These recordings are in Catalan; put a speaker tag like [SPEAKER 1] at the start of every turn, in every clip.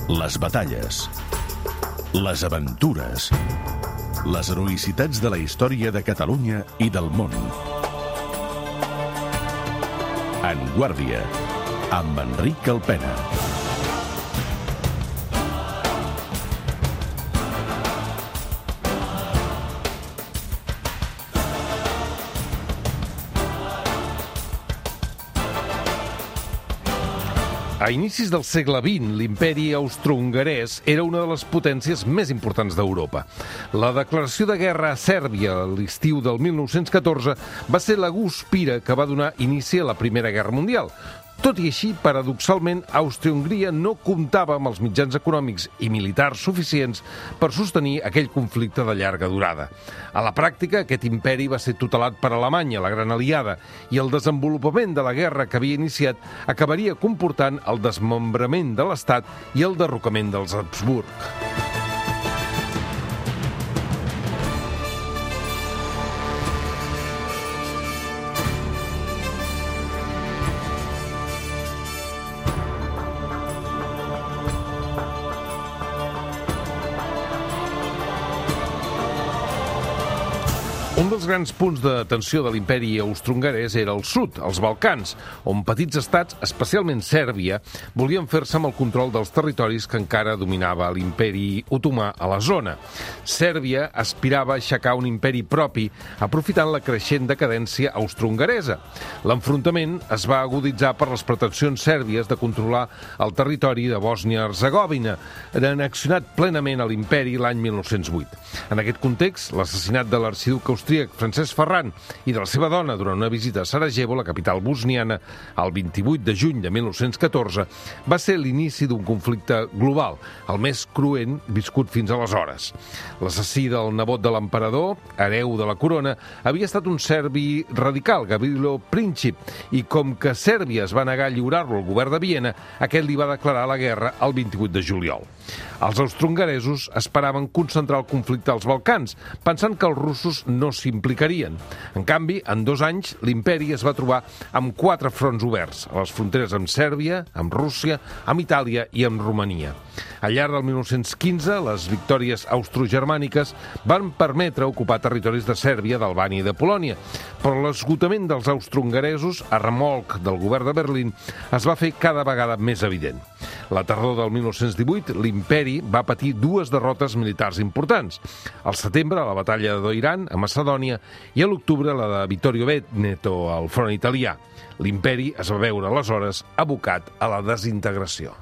[SPEAKER 1] Les batalles, les aventures, les heroïcitats de la història de Catalunya i del món. En Guàrdia, amb Enric Alpena.
[SPEAKER 2] A inicis del segle XX, l'imperi austro-hongarès era una de les potències més importants d'Europa. La declaració de guerra a Sèrbia a l'estiu del 1914 va ser la guspira que va donar inici a la Primera Guerra Mundial. Tot i així, paradoxalment, Àustria-Hongria no comptava amb els mitjans econòmics i militars suficients per sostenir aquell conflicte de llarga durada. A la pràctica, aquest imperi va ser tutelat per Alemanya, la gran aliada, i el desenvolupament de la guerra que havia iniciat acabaria comportant el desmembrament de l'Estat i el derrocament dels Habsburg. Un dels grans punts de tensió de l'imperi austro-hongarès era el sud, els Balcans, on petits estats, especialment Sèrbia, volien fer-se amb el control dels territoris que encara dominava l'imperi otomà a la zona. Sèrbia aspirava a aixecar un imperi propi, aprofitant la creixent decadència austro-hongaresa. L'enfrontament es va aguditzar per les pretensions sèrbies de controlar el territori de Bòsnia-Hercegovina, annexionat plenament a l'imperi l'any 1908. En aquest context, l'assassinat de l'arxiduc austríac Francesc Ferran i de la seva dona durant una visita a Sarajevo, la capital bosniana, el 28 de juny de 1914, va ser l'inici d'un conflicte global, el més cruent viscut fins aleshores. L'assassí del nebot de l'emperador, hereu de la corona, havia estat un serbi radical, Gavrilo Princip, i com que Sèrbia es va negar a lliurar-lo al govern de Viena, aquest li va declarar la guerra el 28 de juliol. Els austrohongaresos esperaven concentrar el conflicte als Balcans, pensant que els russos no s'implicarien. En canvi, en 2 anys, l'imperi es va trobar amb 4 fronts oberts, a les fronteres amb Sèrbia, amb Rússia, amb Itàlia i amb Romania. Al llarg del 1915, les victòries austrogermàniques van permetre ocupar territoris de Sèrbia, d'Albània i de Polònia, però l'esgotament dels austrohongaresos, a remolc del govern de Berlín, es va fer cada vegada més evident. La tardor del 1918, l'imperi va patir 2 derrotes militars importants. Al setembre, la batalla de Doiran, a Macedònia, i a l'octubre, la de Vittorio Veneto, al front italià. L'imperi es va veure aleshores abocat a la desintegració.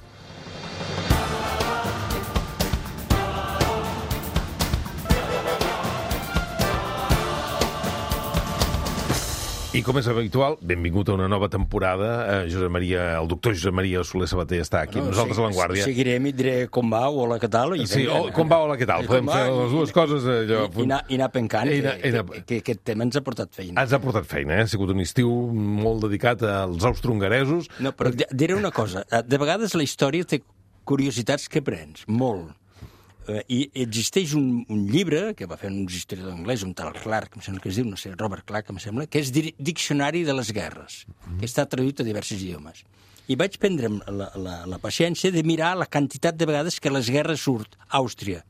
[SPEAKER 2] I com és habitual, benvingut a una nova temporada. El doctor Josep Maria Soler Sabater està aquí amb nosaltres a l'Avantguàrdia.
[SPEAKER 3] Seguirem i diré com va, hola, què tal.
[SPEAKER 2] Sí, com va, hola, què tal. Podem fer les dues coses.
[SPEAKER 3] I anar pencant, que aquest tema ens ha portat feina.
[SPEAKER 2] Ens ha portat feina, ha sigut un estiu molt dedicat als austrohongaresos.
[SPEAKER 3] No, però diré una cosa. De vegades la història té curiositats que prens, molt. I existeix un llibre que va fer uns historiadors anglesos, un tal Clark, em sembla que es diu, no sé, Robert Clark, em sembla, que és Diccionari de les guerres, que està traduït a diversos idiomes. I vaig prendre la paciència de mirar la quantitat de vegades que les guerres surt a Àustria.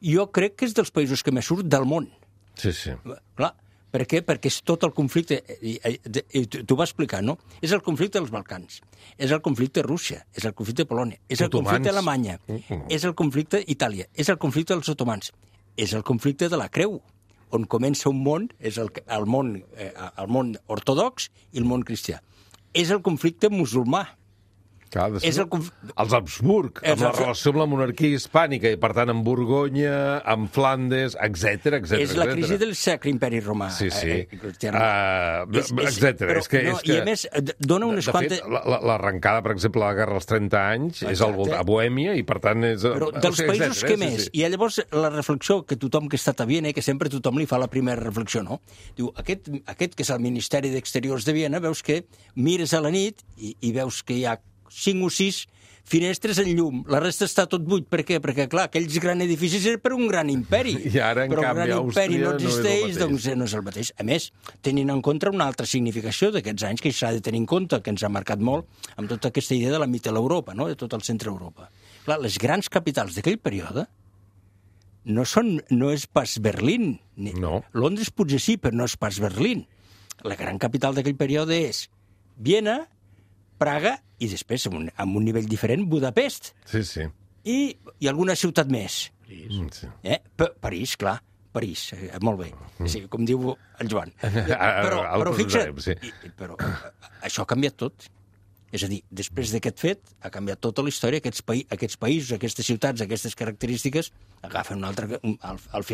[SPEAKER 3] Jo crec que és dels països que més surt del món.
[SPEAKER 2] Sí, sí.
[SPEAKER 3] Clar, per què? Perquè és tot el conflicte, t'ho va explicar, no? És el conflicte dels Balcans, és el conflicte de Rússia, és el conflicte de Polònia, és el conflicte d'Alemanya, és el conflicte d'Itàlia, és el conflicte dels otomans, és el conflicte de la Creu, on comença un món, és el món ortodox i el món cristià. És el conflicte musulmà.
[SPEAKER 2] Clar, els Habsburg, amb la relació amb la monarquia hispànica, i per tant amb Borgonya, amb Flandes, etc.
[SPEAKER 3] És la crisi del Sacre Imperi Romà.
[SPEAKER 2] Sí, sí.
[SPEAKER 3] Etc.
[SPEAKER 2] I
[SPEAKER 3] a més, dona unes quantes...
[SPEAKER 2] De fet, l'arrencada, per exemple, de la Guerra dels 30 anys, és a Bohèmia, i per tant és...
[SPEAKER 3] Però dels països que més. I llavors la reflexió que tothom que ha estat a Viena, que sempre tothom li fa la primera reflexió, no? Diu, aquest que és el Ministeri d'Exteriors de Viena, veus que mires a la nit i veus que hi ha 5 o 6 finestres en llum. La resta està tot buit. Per què? Perquè, clar, aquells grans edificis eren per un gran imperi.
[SPEAKER 2] I ara, en canvi,
[SPEAKER 3] Àustria
[SPEAKER 2] imperi
[SPEAKER 3] no existeix,
[SPEAKER 2] no
[SPEAKER 3] doncs no és el mateix. A més, tenint en compte una altra significació d'aquests anys que s'ha de tenir en compte, que ens ha marcat molt, amb tota aquesta idea de la Mitteleuropa, no? De tot el centre Europa. Clar, les grans capitals d'aquell període no és pas Berlín.
[SPEAKER 2] No.
[SPEAKER 3] Londres potser sí, però no és pas Berlín. La gran capital d'aquell període és Viena, Praga i després, amb un nivell diferent, Budapest.
[SPEAKER 2] Sí.
[SPEAKER 3] I alguna ciutat més.
[SPEAKER 2] Sí.
[SPEAKER 3] París, clar. París, molt bé. Sí, com diu el Joan.
[SPEAKER 2] Però
[SPEAKER 3] fixa't, però això ha canviat tot. És a dir, després d'aquest fet, ha canviat tota la història. Aquests països, aquestes ciutats, aquestes característiques, agafen al final...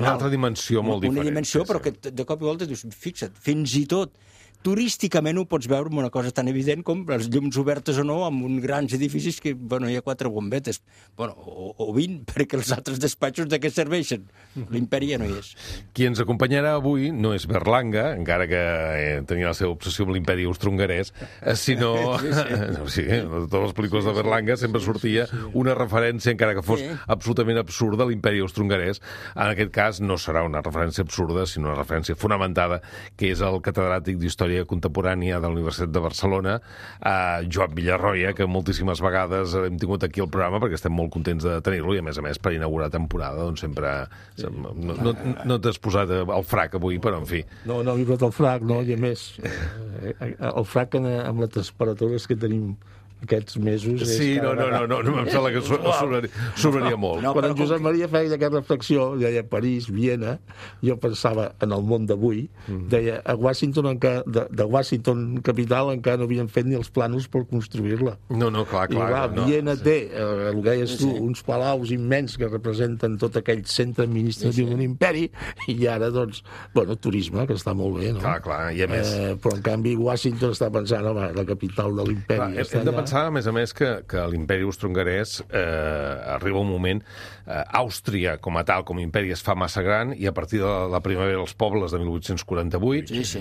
[SPEAKER 2] Una altra dimensió molt diferent.
[SPEAKER 3] Una dimensió, però que de cop i volta dius, fixa't, fins i tot turísticament ho pots veure amb una cosa tan evident com les llums obertes o no, amb uns grans edificis que, hi ha 4 bombetes. O 20, perquè els altres despatxos de què serveixen? L'imperi ja no hi és.
[SPEAKER 2] Qui ens acompanyarà avui no és Berlanga, encara que tenia la seva obsessió amb l'imperi austro-hongarès, sinó... Sí, de totes les pel·lícules de Berlanga sempre sortia una referència, encara que fos absolutament absurda, a l'imperi austro-hongarès. En aquest cas no serà una referència absurda, sinó una referència fonamentada, que és el catedràtic d'Història Contemporània de la Universitat de Barcelona, Joan Villarroya, que moltíssimes vegades hem tingut aquí al programa perquè estem molt contents de tenir-lo i, a més, per inaugurar temporada, doncs sempre... No t'has posat el frac avui, però, en fi...
[SPEAKER 4] No m'he posat el frac, no, i a més, el frac amb les temperatures que tenim aquests mesos...
[SPEAKER 2] Sí, no, em sembla que sobraria molt.
[SPEAKER 4] Quan en Josep Maria feia aquesta reflexió, deia París, Viena, jo pensava en el món d'avui, deia, a Washington, de Washington capital, encara no havien fet ni els plànols per construir-la.
[SPEAKER 2] No, clar.
[SPEAKER 4] I clar, Viena té, el que deies tu, uns palaus immens que representen tot aquell centre administratiu d'un imperi, i ara, doncs, turisme, que està molt bé, no?
[SPEAKER 2] Clar, i a més...
[SPEAKER 4] Però, en canvi, Washington està pensant, home, la capital de l'imperi està allà.
[SPEAKER 2] A més a més, que l'imperi austro-hongarès arriba un moment... Àustria, com a tal, com a imperi, es fa massa gran i a partir de la primavera dels pobles de 1848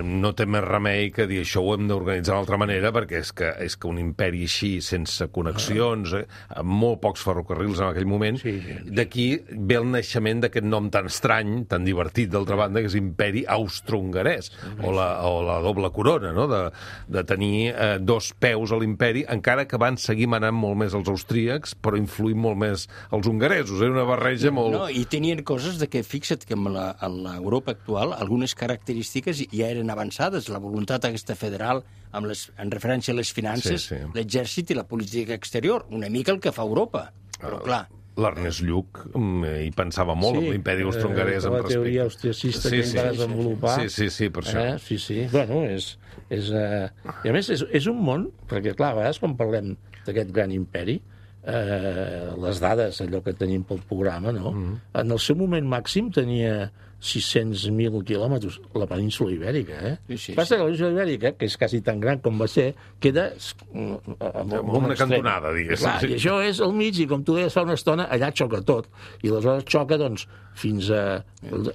[SPEAKER 2] no té més remei que dir això ho hem d'organitzar d'una altra manera perquè és que un imperi així, sense connexions, amb molt pocs ferrocarrils en aquell moment, d'aquí ve el naixement d'aquest nom tan estrany, tan divertit, d'altra banda, que és imperi austro-hongarès, o la doble corona, no? De tenir 2 peus a l'imperi, encara que van seguir manant molt més els austríacs, però influint molt més els hongaresos. Era una barreja molt...
[SPEAKER 3] No, i tenien coses de que, fixa't, que en l'Europa actual algunes característiques ja eren avançades. La voluntat aquesta federal, en referència a les finances, l'exèrcit i la política exterior, una mica el que fa Europa. Però, clar...
[SPEAKER 2] L'Ernest Lluch hi pensava molt amb l'imperi austro-hongarès.
[SPEAKER 4] La teoria austriacista que va desenvolupar.
[SPEAKER 2] Sí, per això.
[SPEAKER 4] Sí. Bueno, I a més, és un món, perquè, clar, a vegades quan parlem d'aquest gran imperi, les dades, allò que tenim pel programa, no? En el seu moment màxim tenia 600.000 quilòmetres, la península Ibèrica, Passa que la península Ibèrica, que és quasi tan gran com va ser, queda
[SPEAKER 2] amb una cantonada, diguéssim.
[SPEAKER 4] Clar, i això és al mig, i com tu deies fa una estona, allà xoca tot. I aleshores xoca, doncs, fins a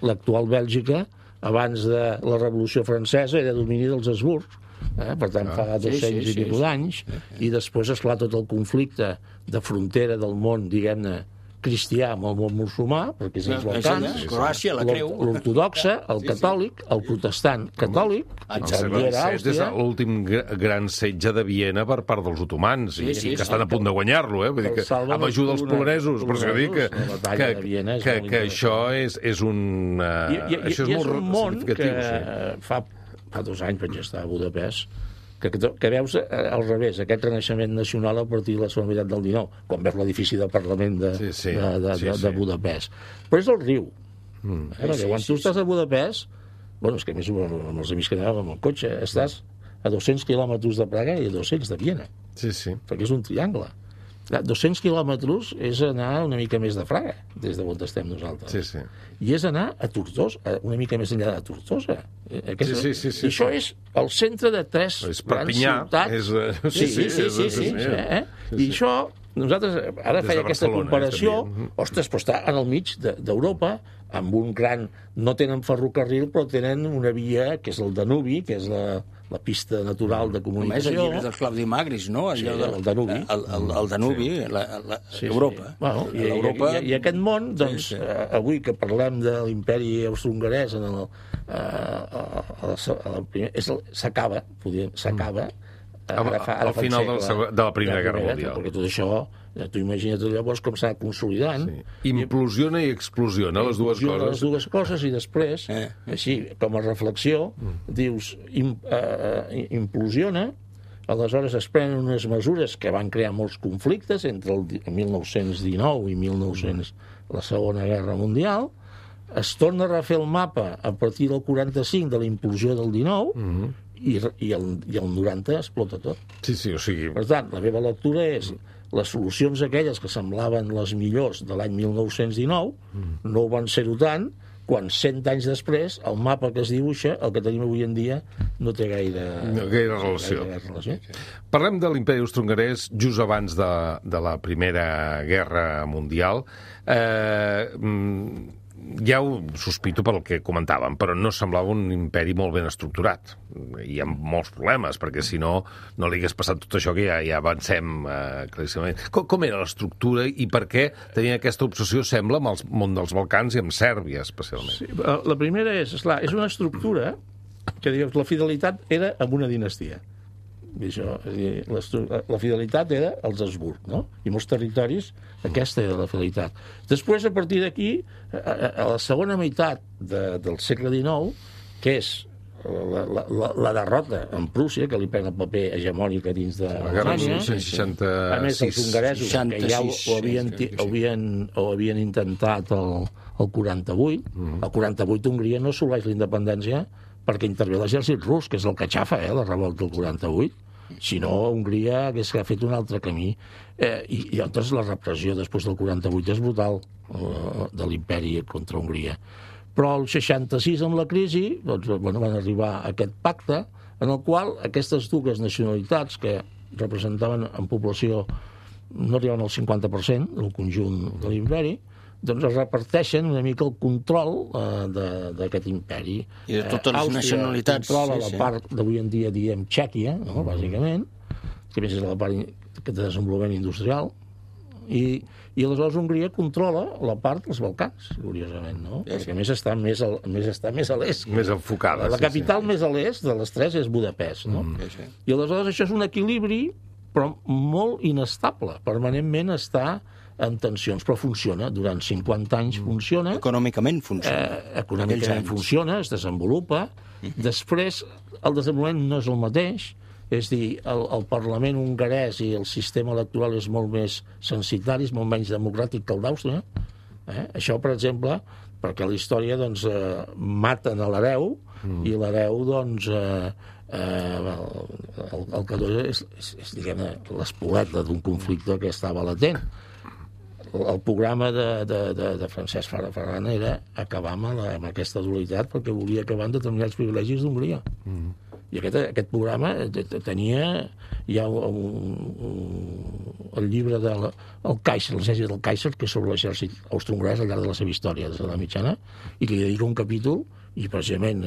[SPEAKER 4] l'actual Bèlgica, abans de la Revolució Francesa, era domini dels Habsburgs, per tant, fa 200 i escaig d'anys, i després, esclar, tot el conflicte de frontera del món, diguem-ne, cristià amb el món musulmà, perquè és els Balcans, l'ortodoxa, el catòlic, el protestant catòlic,
[SPEAKER 2] és l'últim gran setge de Viena per part dels otomans, i que estan a punt de guanyar-lo, vull dir que amb ajuda dels polonesos, per això dic que això és un...
[SPEAKER 4] Això és un món que fa 2 anys vaig estar a Budapest, que veus al revés, aquest renaixement nacional a partir de la segona meitat del XIX, quan veus l'edifici del Parlament de Budapest. Però és el riu. Perquè quan tu estàs a Budapest, és que més amb els amics que anàvem amb el cotxe, estàs a 200 quilòmetres de Praga i a 200 de Viena. Perquè és un triangle. 200 quilòmetres és anar una mica més de Praga, des de on estem nosaltres. I és anar a Tortosa, una mica més enllà de Tortosa. I això és el centre de 3 grans ciutats. I això, nosaltres ara feia aquesta comparació, ostres, però està en el mig d'Europa, amb un gran... No tenen ferrocarril, però tenen una via, que és el Danubi, que és la pista natural de comunicació.
[SPEAKER 3] Només el llibre del Claudi Magris, no?
[SPEAKER 4] El Danubi.
[SPEAKER 3] El Danubi, Europa.
[SPEAKER 4] I aquest món, doncs, avui que parlem de l'imperi austro-hongarès, s'acaba
[SPEAKER 2] Al final de la Primera Guerra Mundial.
[SPEAKER 4] Perquè tot això, tu imagina't llavors com s'ha consolidant.
[SPEAKER 2] Implosiona i explosiona, les dues coses.
[SPEAKER 4] Les dues coses, i després, així, com a reflexió, dius, implosiona, aleshores es prenen unes mesures que van crear molts conflictes entre el 1919 i la Segona Guerra Mundial, es torna a refer el mapa a partir del 45 de la implosió del 19 i el 90 explota tot.
[SPEAKER 2] Sí, o sigui...
[SPEAKER 4] Per tant, la meva lectura és les solucions aquelles que semblaven les millors de l'any 1919 no ho van ser-ho tant, quan 100 anys després el mapa que es dibuixa, el que tenim avui en dia, no té gaire relació.
[SPEAKER 2] Parlem de l'imperi austrohongarès just abans de la Primera Guerra Mundial. Ja ho sospito pel que comentàvem, però no semblava un imperi molt ben estructurat. Hi ha molts problemes, perquè si no, no li hagués passat tot això que ja avancem claríssimament. Com era l'estructura i per què tenia aquesta obsessió, sembla, amb el món dels Balcans i amb Sèrbia, especialment?
[SPEAKER 4] Sí, la primera és una estructura que, diguem, la fidelitat era amb una dinastia. Això, la fidelitat era els Habsburg, no? I molts territoris aquesta era la fidelitat. Després, a partir d'aquí, a la segona meitat del segle XIX, que és la derrota en Prússia, que li pren el paper hegemònic a dins d'Alemanya, a més els hongaresos, que ja ho havien intentat el 48, el 48 Hongria no assoleix la independència perquè intervé l'exèrcit rus, que és el que xafa, la revolta del 48. Si no, Hongria hagués fet un altre camí. I llavors la repressió després del 48 és brutal de l'imperi contra Hongria. Però el 66, amb la crisi, van arribar a aquest pacte en el qual aquestes dues nacionalitats que representaven en població no arribaven al 50% del conjunt de l'imperi, doncs es reparteixen una mica el control d'aquest imperi.
[SPEAKER 3] I de totes les nacionalitats.
[SPEAKER 4] Àustria controla la part d'avui en dia, diem, Txèquia, no? Bàsicament, que més és la part de desenvolupament industrial, i aleshores Hongria controla la part dels Balcans, curiosament, no? Perquè a més està més a l'est.
[SPEAKER 2] Més enfocada.
[SPEAKER 4] La capital més a l'est de les tres és Budapest, no? I aleshores això és un equilibri, però molt inestable. Permanentment està en tensions, però funciona. Durant 50 anys funciona.
[SPEAKER 3] Econòmicament funciona.
[SPEAKER 4] Econòmicament funciona, es desenvolupa. Després, el desenvolupament no és el mateix. És dir, el Parlament hongarès i el sistema electoral és molt més censitari, és molt menys democràtic que el d'Àustria. Això, per exemple, perquè a la història doncs, maten a l'hereu i l'hereu doncs, el que és diguem-ne, l'espoleta d'un conflicte que estava latent. El programa de Francesc Ferran era acabar amb aquesta dualitat perquè volia acabar amb determinats privilegis d'Hongria. I aquest programa tenia ja el llibre del Kaiser, l'essència del Kaiser, que és sobre l'exèrcit austrohongarès al llarg de la seva història des de la mitjana, i que li dedica un capítol, i precisament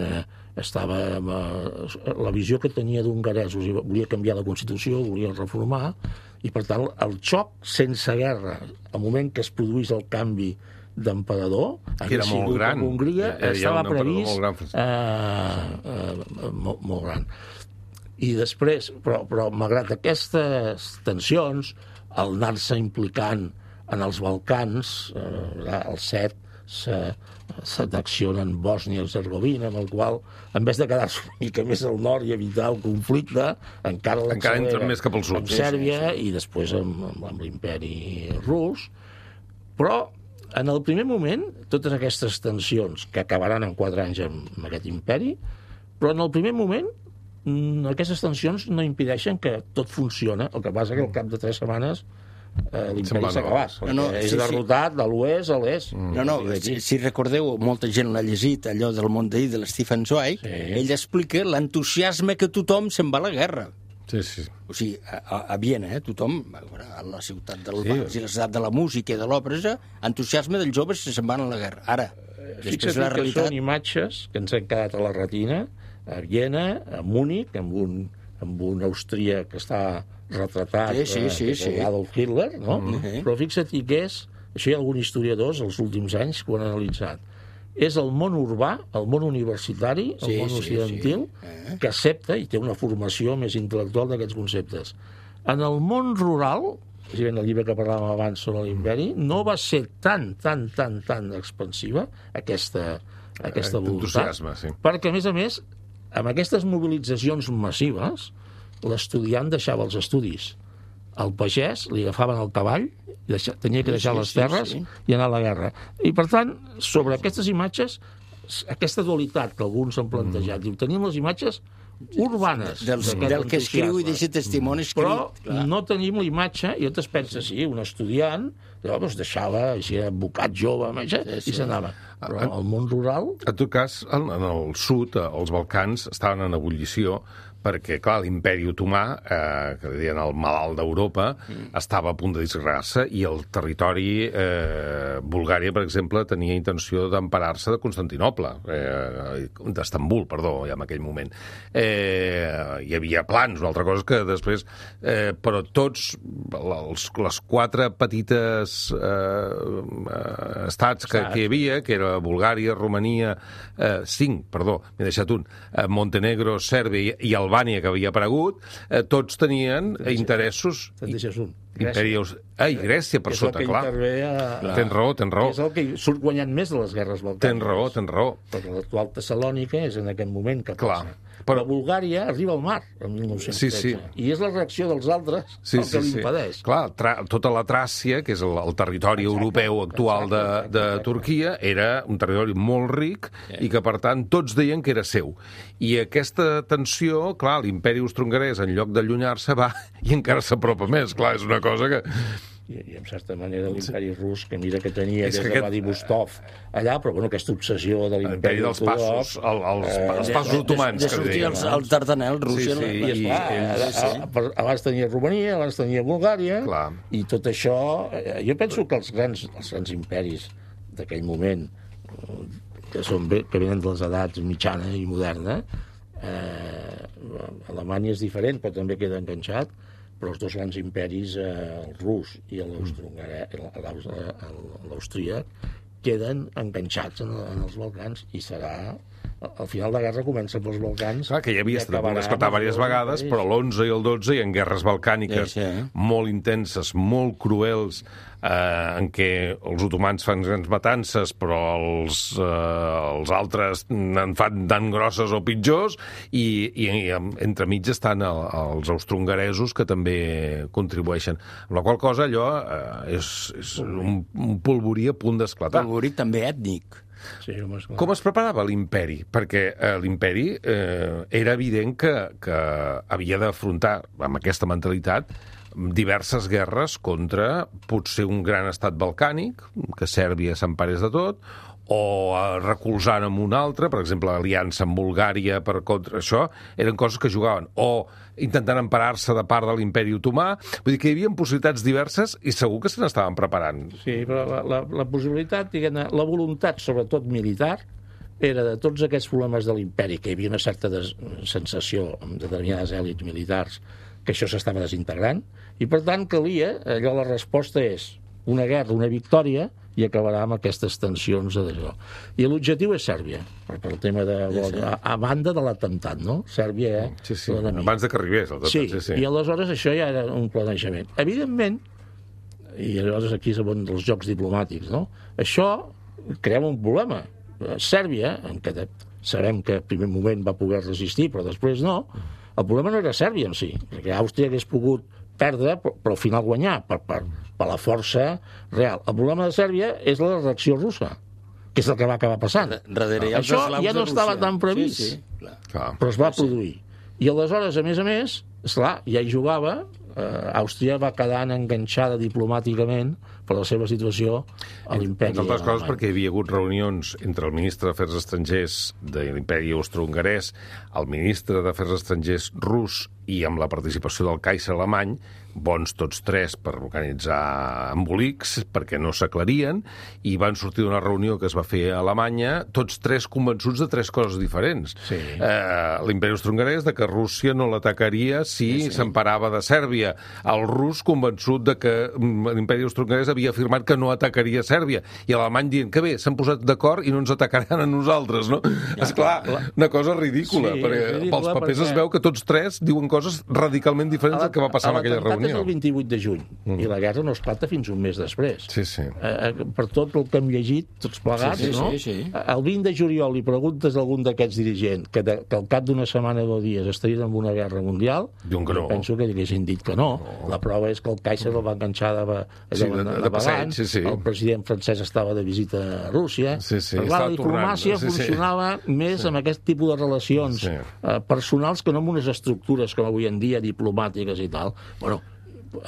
[SPEAKER 4] estava la visió que tenia d'hongaresos, volia canviar la Constitució, volia reformar, i per tant el xoc sense guerra, al moment que es produís el canvi d'emperador,
[SPEAKER 2] que era molt gran.
[SPEAKER 4] Hongria estava previst molt gran. I després, però malgrat aquestes tensions, el anar-se implicant en els Balcans, el CET s'adacciona en Bòsnia i Hercegovina, amb el qual, en vez de quedar-se una mica més al nord i evitar el conflicte, encara
[SPEAKER 2] entren més cap al sud.
[SPEAKER 4] Amb Sèrbia i després amb l'imperi rus. Però en el primer moment, totes aquestes tensions que acabaran en 4 anys amb aquest imperi, però en el primer moment aquestes tensions no impedeixen que tot funciona. El que passa que al cap de 3 setmanes l'imperi s'ha acabat. És derrotat de l'oest a l'est.
[SPEAKER 3] Si recordeu, molta gent l'ha llegit, allò del món d'ahir de l'Stephen Zweig, ell explica l'entusiasme que tothom se'n va a la guerra.
[SPEAKER 2] Sí.
[SPEAKER 3] O sigui, a Viena, tothom, a la ciutat del Vals i la ciutat de la música i de l'òpera, entusiasme dels joves que se'n van a la guerra. Ara,
[SPEAKER 4] fixa't que són imatges que ens han quedat a la retina, a Viena, a Múnich, amb un austríac que està retratat Adolf Hitler, no? Però fixa't que això hi ha alguns historiadors els últims anys que ho han analitzat, és el món urbà, el món universitari, el món occidental, que accepta i té una formació més intel·lectual d'aquests conceptes. En el món rural, el llibre que parlàvem abans sobre l'imperi, no va ser tan expansiva aquesta voluntat, perquè, a més, amb aquestes mobilitzacions massives, l'estudiant deixava els estudis. Al pagès li agafaven el cavall, tenia que deixar les terres i anar a la guerra. I, per tant, sobre aquestes imatges, aquesta dualitat que alguns han plantejat, diu, tenim les imatges urbanes
[SPEAKER 3] del que escriu i deixa testimoni escrit.
[SPEAKER 4] Però no tenim la imatge, i llavors penses, sí, un estudiant deixava, així, advocat jove, i s'anava. Però al món rural...
[SPEAKER 2] En tot cas, en el sud, els Balcans, estaven en ebullició perquè, clar, l'imperi otomà, que deien el malalt d'Europa, estava a punt de disgregar-se i el territori, Bulgària, per exemple, tenia intenció d'emparar-se de Constantinoble, d'Estambul, perdó, ja en aquell moment. Hi havia plans, una altra cosa que després... però tots, les 4 petites estats que hi havia, que era Bulgària, Romania, 5, perdó, m'he deixat un, Montenegro, Sèrbia i Albània, que havia aparegut, tots tenien interessos...
[SPEAKER 4] Te'n deixes un.
[SPEAKER 2] I Grècia, per sota, clar. Tens raó.
[SPEAKER 4] És el que surt guanyant més de les guerres balcàniques.
[SPEAKER 2] Tens raó.
[SPEAKER 4] Perquè l'actual Tessalònica és en aquest moment que passa. Però Bulgària arriba al mar, el 1913. I és la reacció dels altres el que l'impedeix.
[SPEAKER 2] Clar, tota la Tràcia, que és el territori europeu actual de Turquia, era un territori molt ric i que, per tant, tots deien que era seu. I aquesta tensió, clar, l'imperi austro-hongarès, en lloc d'allunyar-se, va i encara s'apropa més. Clar, és una cosa que...
[SPEAKER 4] I en certa manera l'imperi rus, que mira que tenia des de Vladivostok allà, però bueno, aquesta obsessió de l'imperi
[SPEAKER 2] dels passos, els passos otomans.
[SPEAKER 3] De sortir al Dardanel, Rússia.
[SPEAKER 4] Abans tenia Romania, abans tenia Bulgària, i tot això... Jo penso que els grans imperis d'aquell moment, que venen de les edats mitjana i moderna, Alemanya és diferent, però també queda enganxat, però els 2 grans imperis, el rus i l'austríac, queden enganxats en els Balcans i serà... Al final de la guerra comença pels Balcans...
[SPEAKER 2] Clar, que ja havia estat esclatar diverses vegades, però l'11 i el 12 hi ha guerres balcàniques molt intenses, molt cruels, en què els otomans fan grans matances, però els altres en fan tan grosses o pitjors, i entremig estan els austrohongaresos, que també contribueixen. Amb la qual cosa, allò és un polvorí a punt d'esclatar.
[SPEAKER 3] Polvorí també ètnic.
[SPEAKER 4] Sí,
[SPEAKER 2] com es preparava l'imperi? Perquè l'imperi era evident que havia d'afrontar, amb aquesta mentalitat, diverses guerres contra potser un gran estat balcànic, que Sèrbia s'emparés de tot, o recolzant amb un altre, per exemple, l'aliança amb Bulgària per contra això, eren coses que jugaven, o intentant emparar-se de part de l'imperi otomà. Vull dir que hi havia possibilitats diverses i segur que se n'estaven preparant.
[SPEAKER 4] Sí, però la possibilitat, diguem-ne, la voluntat, sobretot militar, era de tots aquests problemes de l'imperi, que hi havia una certa sensació amb determinades èlits militars que això s'estava desintegrant, i per tant calia, allò la resposta és una guerra, una victòria, i acabarà amb aquestes tensions d'allò. I l'objectiu és Sèrbia, per el tema de... a banda de l'atemptat, no? Sèrbia,
[SPEAKER 2] abans de que arribés l'atemptat.
[SPEAKER 4] Sí, i aleshores això ja era un planejament. Evidentment, i aleshores aquí és on dels jocs diplomàtics, no? Això crea un problema. Sèrbia, en què sabem que al primer moment va poder resistir, però després no, el problema no era Sèrbia en si, perquè Àustria hagués pogut perdre, però al final guanyar, per la força real. El problema de Sèrbia és la reacció russa, que és el que va acabar passant. Això ja no estava tan previst, però es va produir. I aleshores, a més, esclar, ja hi jugava, Àustria va quedant enganxada diplomàticament per la seva situació a l'imperi.
[SPEAKER 2] Entre altres coses perquè hi havia hagut reunions entre el ministre d'Afers Estrangers de l'imperi austro-hongarès, el ministre d'Afers Estrangers rus i amb la participació del Kaiser alemany, bons tots tres per organitzar embolics, perquè no s'aclarien, i van sortir d'una reunió que es va fer a Alemanya, tots tres convençuts de tres coses diferents.
[SPEAKER 4] Sí.
[SPEAKER 2] L'imperi austro-hongarès de que Rússia no l'atacaria si s'emparava de Sèrbia. El rus convençut de que l'imperi austro-hongarès havia afirmat que no atacaria Sèrbia, i l'alemany dient que bé, s'han posat d'acord i no ens atacaran a nosaltres, no? Esclar, una cosa ridícula, perquè pels papers es veu que tots tres diuen coses radicalment diferents del que va passar en aquella reunió.
[SPEAKER 4] L'atemptat és el 28 de juny, i la guerra no esclata fins un mes després.
[SPEAKER 2] Sí, sí.
[SPEAKER 4] Per tot el que hem llegit, tots plegats, no? El 20 de juliol li preguntes a algun d'aquests dirigents que al cap d'una setmana o 2 dies estarien en una guerra mundial, penso que haguessin dit que no. La prova és que el Kaiser el va enganxar de passeig, el president francès estava de visita a Rússia. La diplomàcia funcionava més amb aquest tipus de relacions personals que no amb unes estructures com avui en dia, diplomàtiques i tal. Bueno,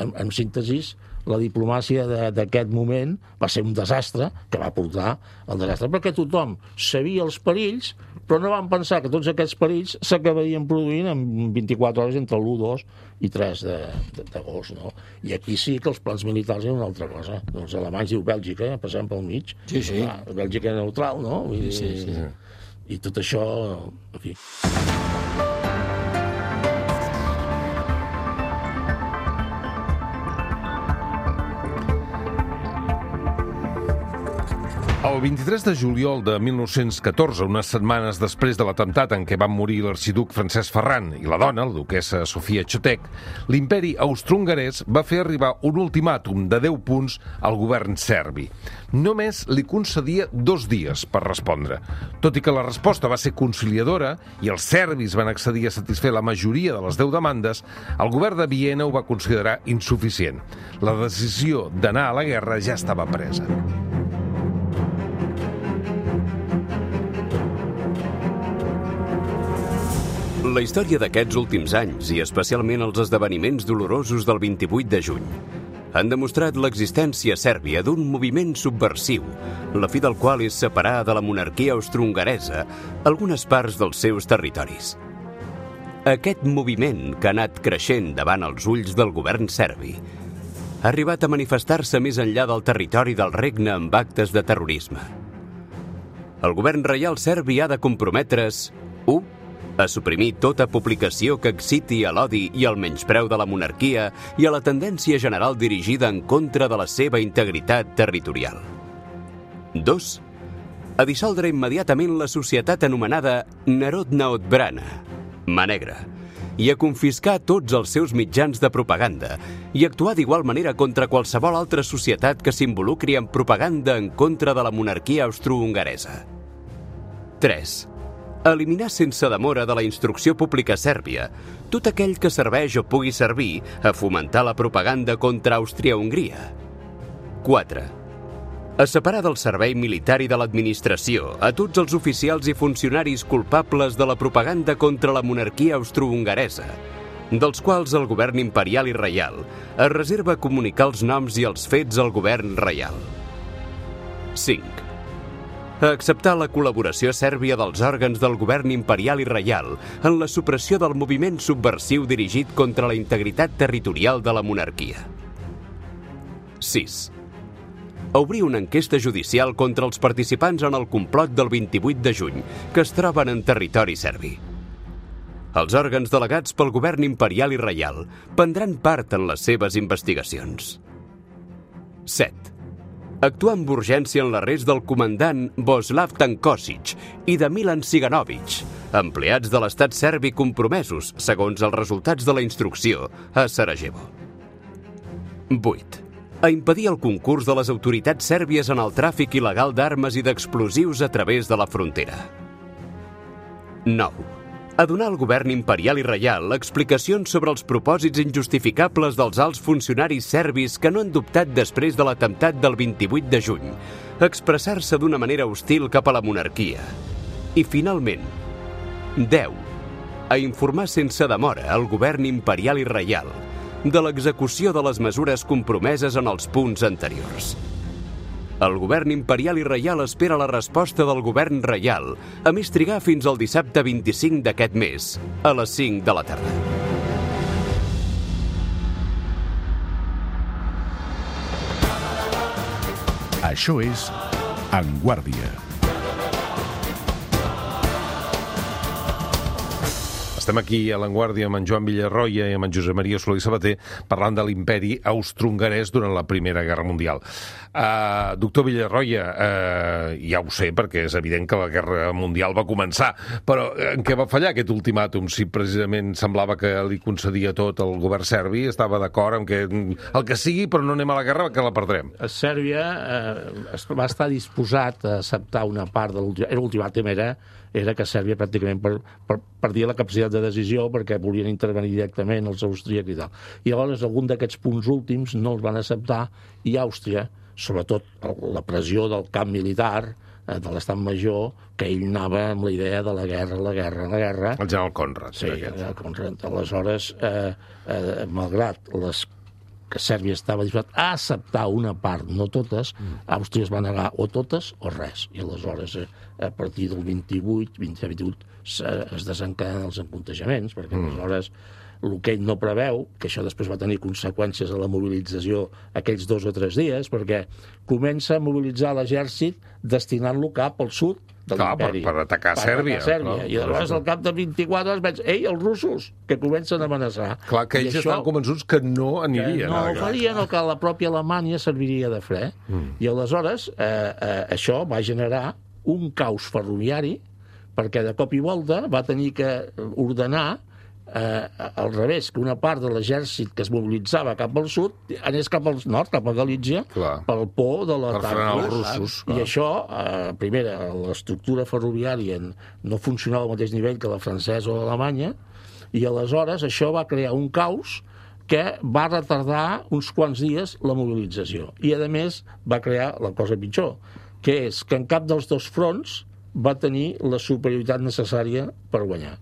[SPEAKER 4] en síntesis, la diplomàcia d'aquest moment va ser un desastre que va portar al desastre, perquè tothom sabia els perills, però no van pensar que tots aquests perills s'acabarien produint en 24 hores entre l'1, 2 i 3 d'agost, no? I aquí sí que els plans militars eren una altra cosa. Els alemanys diu Bèlgica, passem pel mig. Bèlgica neutral, no? I tot això, en fi...
[SPEAKER 2] El 23 de juliol de 1914, unes setmanes després de l'atemptat en què van morir l'arxiduc Francesc Ferran i la dona, la duquessa Sofia Chotek, l'imperi austro-hongarès va fer arribar un ultimàtum de 10 punts al govern serbi. Només li concedia 2 dies per respondre. Tot i que la resposta va ser conciliadora i els serbis van accedir a satisfer la majoria de les 10 demandes, el govern de Viena ho va considerar insuficient. La decisió d'anar a la guerra ja estava presa.
[SPEAKER 5] La història d'aquests últims anys, i especialment els esdeveniments dolorosos del 28 de juny, han demostrat l'existència sèrbia d'un moviment subversiu, la fi del qual és separar de la monarquia austro-hongaresa algunes parts dels seus territoris. Aquest moviment, que ha anat creixent davant els ulls del govern serbi, ha arribat a manifestar-se més enllà del territori del regne amb actes de terrorisme. El govern reial serbi ha de comprometre's 1. A suprimir tota publicació que exciti a l'odi i al menyspreu de la monarquia i a la tendència general dirigida en contra de la seva integritat territorial. 2. A dissoldre immediatament la societat anomenada Narodna Odbrana, Mà Negra, i a confiscar tots els seus mitjans de propaganda i actuar d'igual manera contra qualsevol altra societat que s'involucri en propaganda en contra de la monarquia austro-hongaresa. 3. Eliminar sense demora de la instrucció pública sèrbia tot aquell que serveix o pugui servir a fomentar la propaganda contra Àustria-Hongria. 4. A separar del servei militar i de l'administració a tots els oficials i funcionaris culpables de la propaganda contra la monarquia austro-hongaresa, dels quals el govern imperial i reial es reserva comunicar els noms i els fets al govern reial. 5. A acceptar la col·laboració sèrbia dels òrgans del govern imperial i reial en la supressió del moviment subversiu dirigit contra la integritat territorial de la monarquia. 6. A obrir una enquesta judicial contra els participants en el complot del 28 de juny que es troben en territori serbi. Els òrgans delegats pel govern imperial i reial prendran part en les seves investigacions. 7. Actuar amb urgència en l'arrest del comandant Boslav Tankosic i de Milan Siganovic, empleats de l'estat serbi compromesos, segons els resultats de la instrucció, a Sarajevo. 8. A impedir el concurs de les autoritats sèrbies en el tràfic il·legal d'armes i d'explosius a través de la frontera. 9. A donar al govern imperial i reial explicacions sobre els propòsits injustificables dels alts funcionaris serbis que no han dubtat després de l'atemptat del 28 de juny, expressar-se d'una manera hostil cap a la monarquia. I, finalment, 10. A informar sense demora al govern imperial i reial de l'execució de les mesures compromeses en els punts anteriors. El govern imperial i reial espera la resposta del govern reial, a més trigar fins al dissabte 25 d'aquest mes, a les 5 de la tarda.
[SPEAKER 1] Això és En Guàrdia.
[SPEAKER 2] Estem aquí a l'Avantguàrdia amb en Joan Villarroya i amb en Josep Maria Solé i Sabater parlant de l'imperi austrohongarès durant la Primera Guerra Mundial. Doctor Villarroya, ja ho sé, perquè és evident que la Guerra Mundial va començar, però en què va fallar aquest ultimàtum? Si precisament semblava que li concedia tot el govern serbi, estava d'acord amb que el que sigui, però no anem a la guerra, que la perdrem.
[SPEAKER 4] Sèrbia va estar disposat a acceptar una part de l'ultimàtum, era que Sèrbia pràcticament perdia la capacitat de decisió perquè volien intervenir directament els austríacs i tal. I llavors algun d'aquests punts últims no els van acceptar i Àustria, sobretot la pressió del camp militar, de l'estat major, que ell anava amb la idea de la guerra.
[SPEAKER 2] El general Conrad.
[SPEAKER 4] Sí, el general Conrad. Aleshores, malgrat que Sèrbia estava disposat a acceptar una part, no totes, Àustria es va negar o totes o res. I aleshores, a partir del 27-28, es desencadenen els empuntejaments, perquè aleshores el que ell no preveu, que això després va tenir conseqüències a la mobilització aquells 2 o 3 dies, perquè comença a mobilitzar l'exèrcit destinant-lo cap al sud de l'imperi.
[SPEAKER 2] Per atacar Sèrbia.
[SPEAKER 4] I aleshores al cap de 24 hores veig, els russos, que comencen a amenaçar.
[SPEAKER 2] Clar, que ells estaven convençuts que no anirien.
[SPEAKER 4] Que no ho farien, o que la pròpia Alemanya serviria de fre. I aleshores això va generar un caos ferroviari, perquè de cop i volta va tenir que ordenar al revés, que una part de l'exèrcit que es mobilitzava cap al sud anés cap al nord, cap a Galícia, pel por de l'atac
[SPEAKER 2] russos.
[SPEAKER 4] I això, primera, l'estructura ferroviària no funcionava al mateix nivell que la francesa o l'alemanya, i aleshores això va crear un caos que va retardar uns quants dies la mobilització. I, a més, va crear la cosa pitjor, que és que en cap dels dos fronts va tenir la superioritat necessària per guanyar.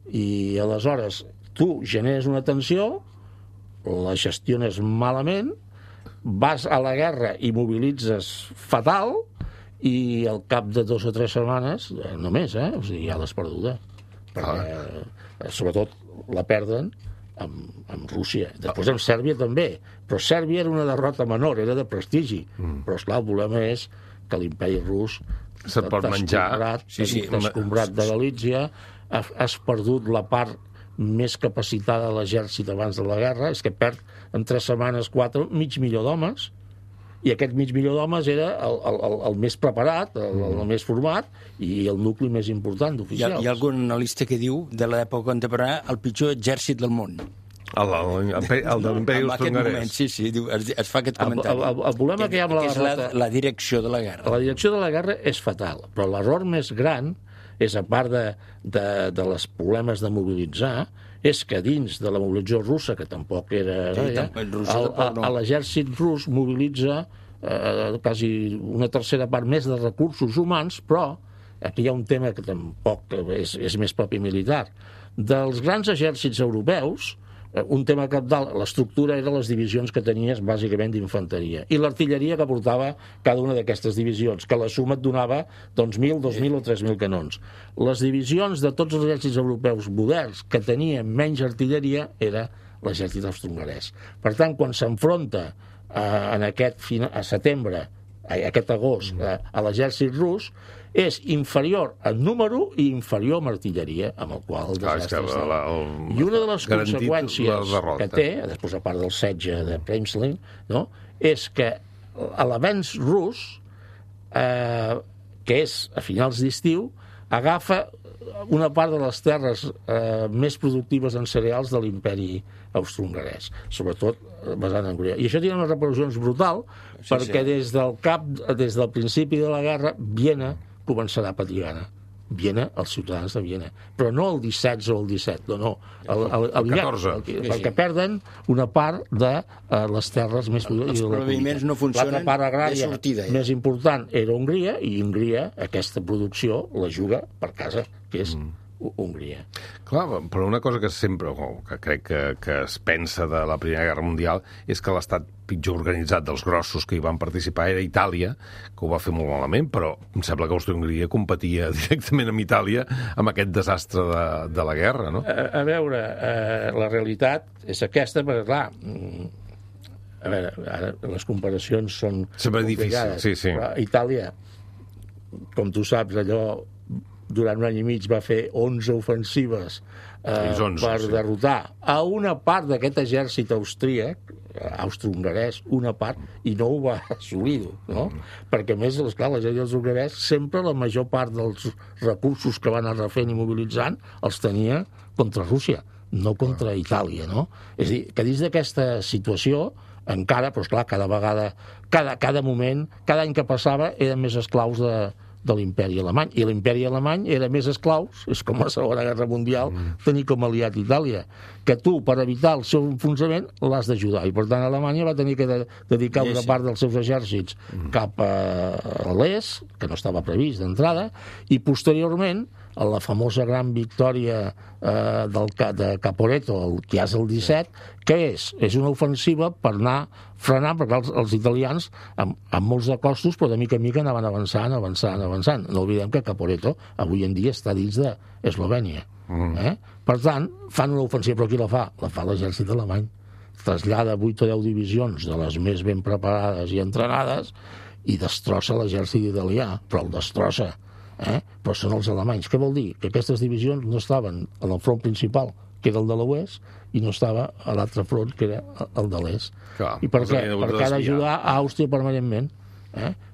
[SPEAKER 4] I aleshores tu generes una tensió, la gestiones malament, vas a la guerra i mobilitzes fatal, i al cap de 2 o 3 setmanes, només, o sigui, ja l'has perduda. Perquè, sobretot, la perden amb Rússia. Després amb Sèrbia també. Però Sèrbia era una derrota menor, era de prestigi. Però, esclar, el problema és que l'imperi rus
[SPEAKER 2] se't pot menjar.
[SPEAKER 4] Descombrat de Galícia, has perdut la part més capacitada de l'exèrcit abans de la guerra, és que perd en 3 setmanes, 4, 500.000 d'homes, i aquest 500.000 d'homes era el més preparat, el més format, i el nucli més important d'oficials.
[SPEAKER 3] Hi ha algun analista que diu, de l'època contemporània, el pitjor exèrcit del món.
[SPEAKER 2] El de l'imperi austrohongarès.
[SPEAKER 3] Sí, es fa aquest comentari.
[SPEAKER 4] El problema que hi ha amb la derrota...
[SPEAKER 3] la direcció de la guerra.
[SPEAKER 4] La direcció de la guerra és fatal, però l'error més gran és, a part de les problemes de mobilitzar, és que dins de la mobilització russa, que tampoc era... l'exèrcit rus mobilitza quasi una tercera part més de recursos humans, però aquí hi ha un tema que tampoc és més propi militar. Dels grans exèrcits europeus, un tema cabdal, l'estructura era les divisions que tenies bàsicament d'infanteria i l'artilleria que portava cada una d'aquestes divisions, que la suma et donava 1.000, 2.000 o 3.000 canons. Les divisions de tots els exèrcits europeus moderns que tenien menys artilleria era l'exèrcit austrohongarès. Per tant, quan s'enfronta a setembre, aquest agost, a l'exèrcit rus, és inferior en número i inferior en artilleria, amb el qual el desastre està. I una de les conseqüències que té, després a part del setge de Przemyśl, és que l'avenç rus, que és a finals d'estiu, agafa una part de les terres més productives en cereals de l'imperi austrohongarès, sobretot basat en Hongria. I això té unes repercussions brutal, perquè des del principi de la guerra, Viena començarà a patir gana. Viena, els ciutadans de Viena. Però no el 16 o el 17, no. El
[SPEAKER 2] 14.
[SPEAKER 4] Perquè perden una part de les terres més...
[SPEAKER 3] Els proviments no funcionen.
[SPEAKER 4] L'altra part agrària més important era Hongria, i Hongria aquesta producció la juga per casa, que és Hongria.
[SPEAKER 2] Clar, però una cosa que sempre, que crec que es pensa de la Primera Guerra Mundial, és que l'estat pitjor organitzat dels grossos que hi van participar era Itàlia, que ho va fer molt malament, però em sembla que Àustria-Hongria competia directament amb Itàlia amb aquest desastre de la guerra, no?
[SPEAKER 4] A veure, la realitat és aquesta, perquè, clar, a veure, ara les comparacions són
[SPEAKER 2] sempre difícils, sí.
[SPEAKER 4] Però Itàlia, com tu saps, allò durant un any i mig va fer 11 ofensives per derrotar a una part d'aquest exèrcit austríac, austro-hongarès, una part, i no ho va assolir, no? Perquè, a més, esclar, l'exèrcit hongarès sempre la major part dels recursos que van anar refent i mobilitzant els tenia contra Rússia, no contra Itàlia, no? És a dir, que dins d'aquesta situació encara, però esclar, cada vegada, cada moment, cada any que passava eren més esclaus de l'imperi alemany, i l'imperi alemany era més esclaus, és com la Segona Guerra Mundial, tenir com aliat Itàlia, que tu, per evitar el seu enfonsament, l'has d'ajudar, i per tant Alemanya va tenir que dedicar una part dels seus exèrcits cap a l'est, que no estava previst d'entrada, i posteriorment, a la famosa gran victòria de Caporetto, que és el 17, que és una ofensiva per anar frenant, perquè els italians, amb molts de costos, però de mica en mica anaven avançant. No oblidem que Caporetto avui en dia està dins d'Eslovènia. Per tant, fan una ofensiva, però qui la fa? La fa l'exèrcit alemany. Trasllada 8 o 10 divisions de les més ben preparades i entrenades i destrossa l'exèrcit italià, però el destrossa. Però són els alemanys. Què vol dir? Que aquestes divisions no estaven en el front principal, que era el de l'oest, i no estava a l'altre front, que era el de l'est. I per què? Perquè ha d'ajudar a Àustria permanentment.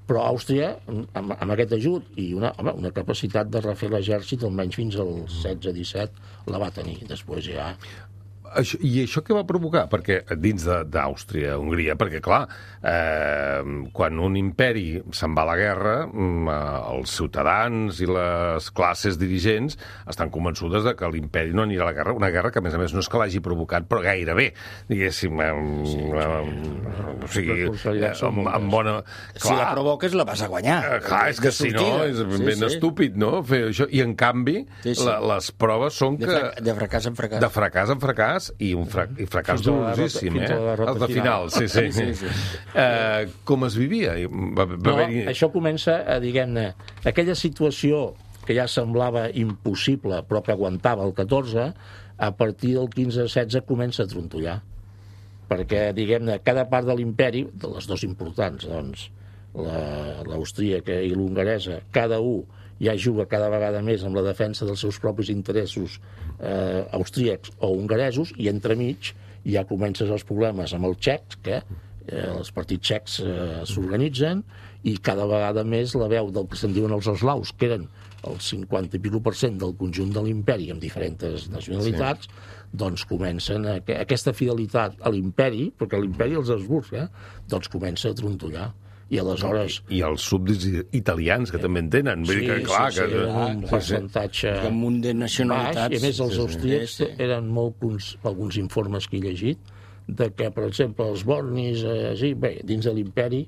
[SPEAKER 4] Però Àustria, amb aquest ajut i una capacitat de refer l'exèrcit, almenys fins al 16-17, la va tenir. Després ja...
[SPEAKER 2] I això què va provocar? Perquè dins d'Àustria, Hongria, perquè clar, quan un imperi se'n va a la guerra, els ciutadans i les classes dirigents estan convençudes de que l'imperi no anirà a la guerra, una guerra que a més no és que l'hagi provocat, però gairebé, diguéssim, o sigui, amb bona...
[SPEAKER 3] Si la provoques la vas a guanyar.
[SPEAKER 2] Clar, és que si no, és ben estúpid, no?, fer això. I en canvi, les proves són que...
[SPEAKER 3] De fracàs en fracàs.
[SPEAKER 2] De fracàs en fracàs, i fracàs dolorosíssim, els de final. Sí. Com es vivia?
[SPEAKER 4] Això comença, diguem-ne, aquella situació que ja semblava impossible, però que aguantava el 14, a partir del 15-16 comença a trontollar. Perquè, diguem-ne, cada part de l'imperi, de les dues importants, doncs, l'austríaca i l'hongaresa, cada un ja juga cada vegada més amb la defensa dels seus propis interessos austríacs o hongaresos, i entremig ja comencen els problemes amb els txecs, que els partits txecs s'organitzen, i cada vegada més la veu del que se'n diuen els eslaus, que eren el 50 i % del conjunt de l'imperi amb diferents nacionalitats, doncs comencen aquesta fidelitat a l'imperi, perquè l'imperi els Habsburgs, doncs comença a trontollar. I aleshores...
[SPEAKER 2] I els súbdits italians, que també en tenen.
[SPEAKER 4] Sí, un percentatge...
[SPEAKER 3] Un munt de nacionalitats.
[SPEAKER 4] I a més, els austríacs eren molt, alguns informes que he llegit, de que, per exemple, els bornis, dins de l'imperi,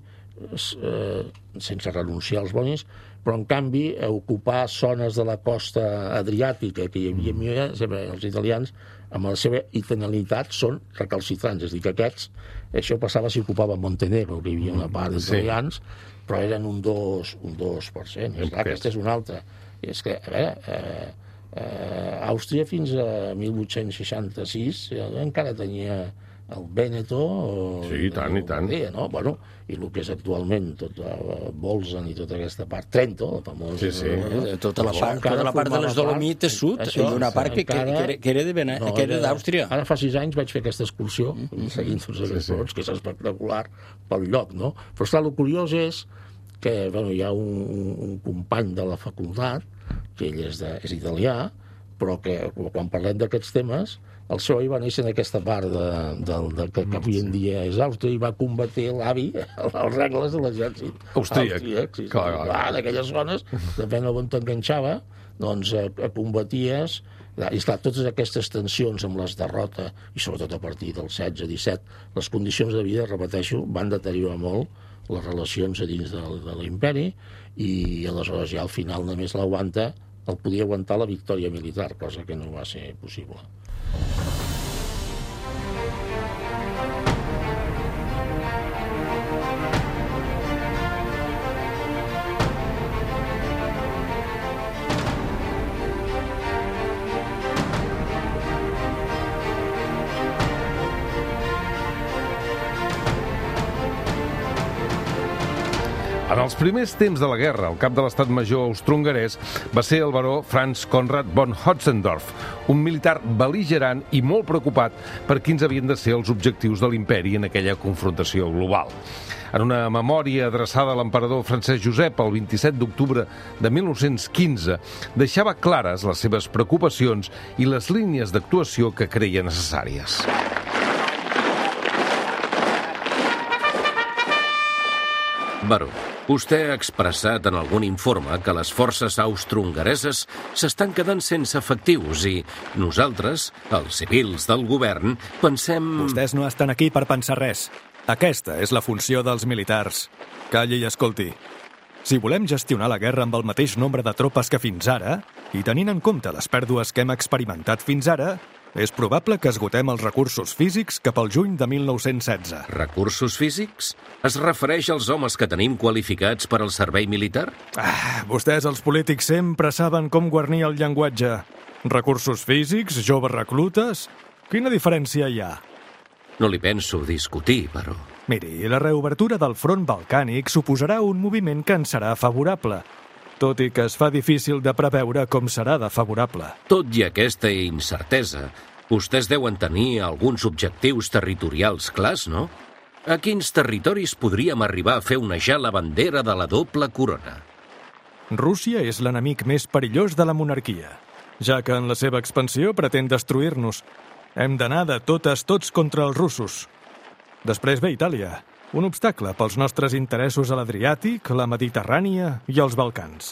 [SPEAKER 4] sense renunciar als bornis, però, en canvi, ocupar zones de la costa adriàtica, que hi havia, els italians, amb la seva italianitat, són recalcitrants. És a dir, que aquests, això passava si ocupava Montenegro, que hi havia una part d'italians, però eren un 2%. Aquesta és una altra. És que, a veure, Àustria fins a 1866 encara tenia el Vèneto...
[SPEAKER 2] Sí, i tant.
[SPEAKER 4] No? Bueno, i el que és actualment tot Bolzan i tota aquesta part, Trento, la famosa...
[SPEAKER 3] Tota la part de les Dolomites sud, i una part que era d'Àustria.
[SPEAKER 4] Ara fa 6 anys vaig fer aquesta excursió, seguint tots aquests rots, que és espectacular pel lloc, no? Però, esclar, el curiós és que hi ha un company de la facultat, que ell és italià, però que quan parlem d'aquests temes, el seu avi va néixer en aquesta part que avui en dia és Àustria, i va combatir l'avi als regles de l'exèrcit austríac. En aquelles zones, depèn d'on t'enganxava, doncs combaties. I esclar, totes aquestes tensions amb les derrotes, i sobretot a partir del 16-17, les condicions de vida, repeteixo, van deteriorar molt les relacions a dins de l'imperi, i aleshores ja al final només el podia aguantar la victòria militar, cosa que no va ser possible.
[SPEAKER 2] En els primers temps de la guerra, el cap de l'estat major austrohongarès va ser el baró Franz Conrad von Hotzendorf, un militar bel·ligerant i molt preocupat per quins havien de ser els objectius de l'imperi en aquella confrontació global. En una memòria adreçada a l'emperador Francesc Josep el 27 d'octubre de 1915, deixava clares les seves preocupacions i les línies d'actuació que creia necessàries.
[SPEAKER 6] Baró, vostè ha expressat en algun informe que les forces austrohongareses s'estan quedant sense efectius i nosaltres, els civils del govern, pensem...
[SPEAKER 7] Vostès no estan aquí per pensar res. Aquesta és la funció dels militars. Calli i escolti. Si volem gestionar la guerra amb el mateix nombre de tropes que fins ara, i tenint en compte les pèrdues que hem experimentat fins ara, és probable que esgotem els recursos físics cap al juny de 1916.
[SPEAKER 6] Recursos físics? Es refereix als homes que tenim qualificats per al servei militar?
[SPEAKER 7] Vostès, els polítics, sempre saben com guarnir el llenguatge. Recursos físics, joves reclutes... Quina diferència hi ha?
[SPEAKER 6] No li penso discutir, però...
[SPEAKER 7] Miri, la reobertura del front balcànic suposarà un moviment que ens serà favorable, tot i que es fa difícil de preveure com serà de favorable.
[SPEAKER 6] Tot i aquesta incertesa, vostès deuen tenir alguns objectius territorials clars, no? A quins territoris podríem arribar a fer onejar la bandera de la doble corona?
[SPEAKER 7] Rússia és l'enemic més perillós de la monarquia, ja que en la seva expansió pretén destruir-nos. Hem d'anar de totes tots contra els russos. Després ve Itàlia, un obstacle pels nostres interessos a l'Adriàtic, la Mediterrània i els Balcans.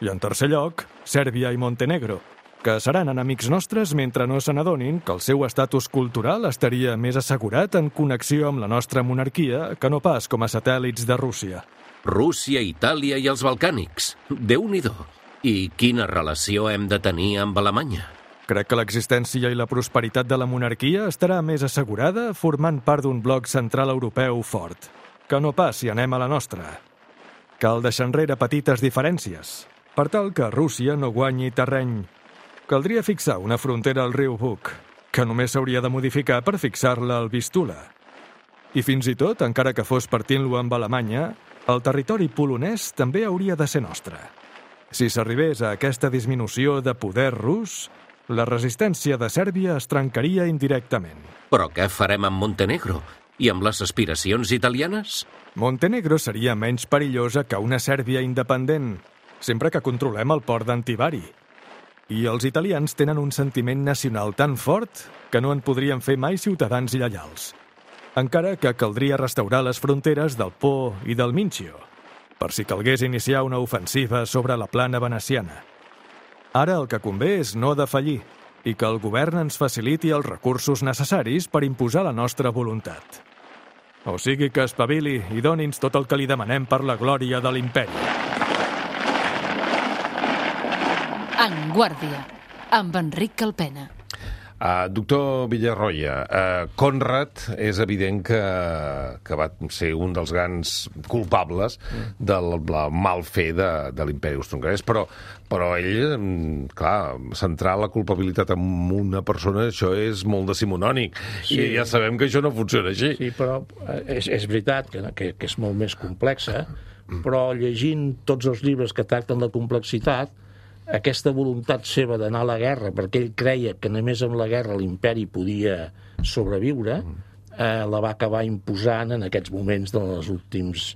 [SPEAKER 7] I en tercer lloc, Sèrbia i Montenegro, que seran enemics nostres mentre no se n'adonin que el seu estatus cultural estaria més assegurat en connexió amb la nostra monarquia que no pas com a satèl·lits de Rússia.
[SPEAKER 6] Rússia, Itàlia i els Balcànics. Déu-n'hi-do. I quina relació hem de tenir amb Alemanya?
[SPEAKER 7] Crec que l'existència i la prosperitat de la monarquia estarà més assegurada formant part d'un bloc central europeu fort, que no pas si anem a la nostra. Cal deixar enrere petites diferències, per tal que Rússia no guanyi terreny. Caldria fixar una frontera al riu Bug, que només s'hauria de modificar per fixar-la al Vistula. I fins i tot, encara que fos partint-lo amb Alemanya, el territori polonès també hauria de ser nostre. Si s'arribés a aquesta disminució de poder rus, la resistència de Sèrbia es trencaria indirectament.
[SPEAKER 6] Però què farem amb Montenegro? I amb les aspiracions italianes?
[SPEAKER 7] Montenegro seria menys perillosa que una Sèrbia independent, sempre que controlem el port d'Antivari. I els italians tenen un sentiment nacional tan fort que no en podrien fer mai ciutadans lleials. Encara que caldria restaurar les fronteres del Po i del Mincio, per si calgués iniciar una ofensiva sobre la plana veneciana. Ara el que convé és no defallir i que el govern ens faciliti els recursos necessaris per imposar la nostra voluntat. O sigui que espavili i doni'ns tot el que li demanem per la glòria de l'imperi.
[SPEAKER 8] En Guàrdia, amb Enric Calpena.
[SPEAKER 2] Doctor Villarroya, Conrad és evident que va ser un dels grans culpables del mal fer de l'imperi austrohongarès, però ell, clar, centrar la culpabilitat en una persona, això és molt decimonònic, sí. I ja sabem que això no funciona així.
[SPEAKER 4] Sí, però és veritat que és molt més complexa, però llegint tots els llibres que tracten la complexitat, aquesta voluntat seva d'anar a la guerra, perquè ell creia que només amb la guerra l'imperi podia sobreviure, la va acabar imposant en aquests moments dels últims,